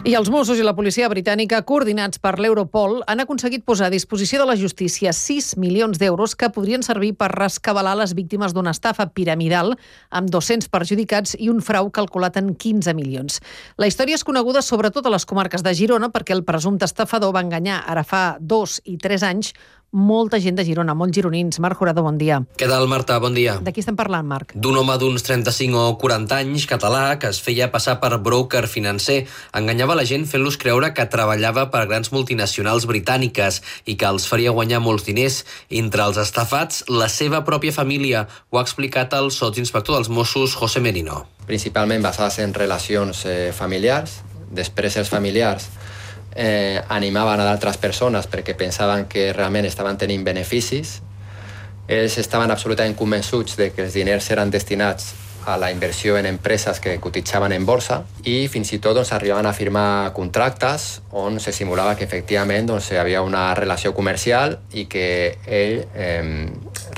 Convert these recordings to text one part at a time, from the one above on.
I els Mossos i la policia britànica, coordinats per l'Europol, han aconseguit posar a disposició de la justícia 6 milions d'euros que podrien servir per rescabalar les víctimes d'una estafa piramidal amb 200 perjudicats i un frau calculat en 15 milions. La història és coneguda sobretot a les comarques de Girona perquè el presumpte estafador va enganyar ara fa 2 i 3 anys molta gent de Girona, molts gironins. Marc Jurado, bon dia. Què tal, Marta? Bon dia. De qui estem parlant, Marc? D'un home d'uns 35 o 40 anys, català, que es feia passar per broker financer. Enganyava la gent fent-los creure que treballava per grans multinacionals britàniques i que els faria guanyar molts diners. Entre els estafats, la seva pròpia família. Ho ha explicat el sotsinspector dels Mossos, José Merino. Principalment basades en relacions familiars. Després els familiars animaven a d'altres persones perquè pensaven que realment estaven tenint beneficis. Ells estaven absolutament convençuts de que els diners eren destinats a la inversió en empreses que cotitzaven en borsa i fins i tot arribaven a firmar contractes on se simulava que efectivament hi havia una relació comercial i que ell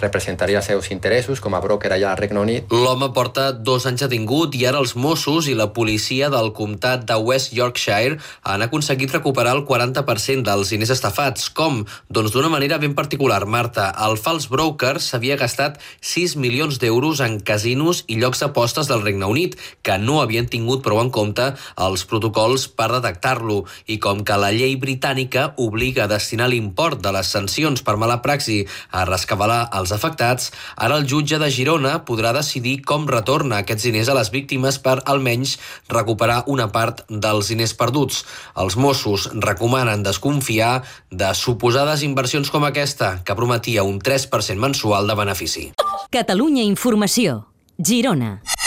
representaria els seus interessos com a broker allà al Regne Unit. L'home porta 2 anys detingut i ara els Mossos i la policia del comtat de West Yorkshire han aconseguit recuperar el 40% dels diners estafats. Com? Doncs d'una manera ben particular, Marta. El fals broker s'havia gastat 6 milions d'euros en casinos i llocs d'apostes del Regne Unit, que no havien tingut prou en compte els protocols per detectar-lo. I com que la llei britànica obliga a destinar l'import de les sancions per mala praxi a rescabalar els afectats, ara el jutge de Girona podrà decidir com retorna aquests diners a les víctimes per almenys recuperar una part dels diners perduts. Els Mossos recomanen desconfiar de suposades inversions com aquesta, que prometia un 3% mensual de benefici. Catalunya Informació. Girona.